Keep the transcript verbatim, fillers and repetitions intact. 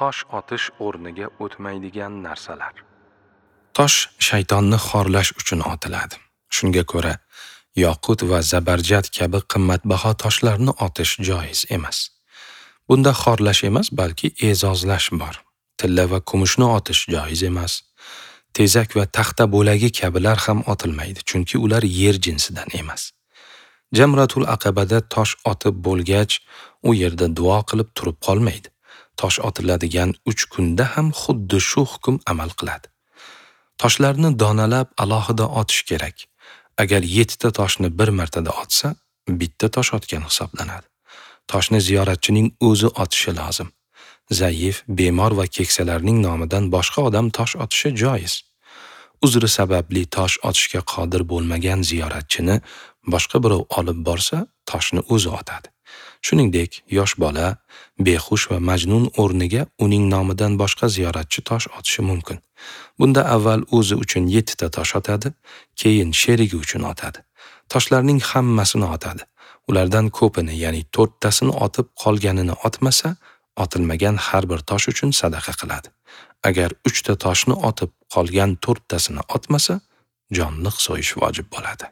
Tosh otish o'rniga o'tmaydigan narsalar. Tosh shaytonni xorlash uchun otiladi. Shunga ko'ra, yoqut va zabarjad kabi qimmatbaho toshlarni otish joiz emas. Bunda xorlash emas, balki e'zozlash bor. Tilla va kumushni otish joiz emas. Tezak va taxta bo'lagi kabilar ham otilmaydi, chunki ular yer jinsidan emas. Jamratul Aqabada tosh otib bo'lgach, u yerda duo qilib turib qolmaydi. Tosh otiladigan uch kunda ham xuddi shu hukm amal qiladi. Toshlarni donalab alohida otish kerak. Agar yettita toshni bir martada otsa, bitta tosh otgan hisoblanadi. Toshni ziyoratchining o'zi otishi lozim. Zaif, bemor va keksalarning nomidan boshqa odam tosh otishi joiz. Uzri sababli tosh otishga qodir bo'lmagan ziyoratchini boshqa birov olib borsa, toshni o'zi otadi. Shuningdek, yosh bola, behush va majnun o'rniga uning nomidan boshqa ziyoratchi tosh otishi mumkin. Bunda avval o'zi uchun yettita tosh otadi, keyin sherigi uchun otadi. Toshlarning hammasini otadi. Ulardan ko'pini, ya'ni to'rttasini otib qolganini otmasa, otilmagan har bir tosh uchun sadaqa qiladi. Agar uchta toshni otib qolgan to'rttasini otmasa, jonliq so'yish vojib bo'ladi.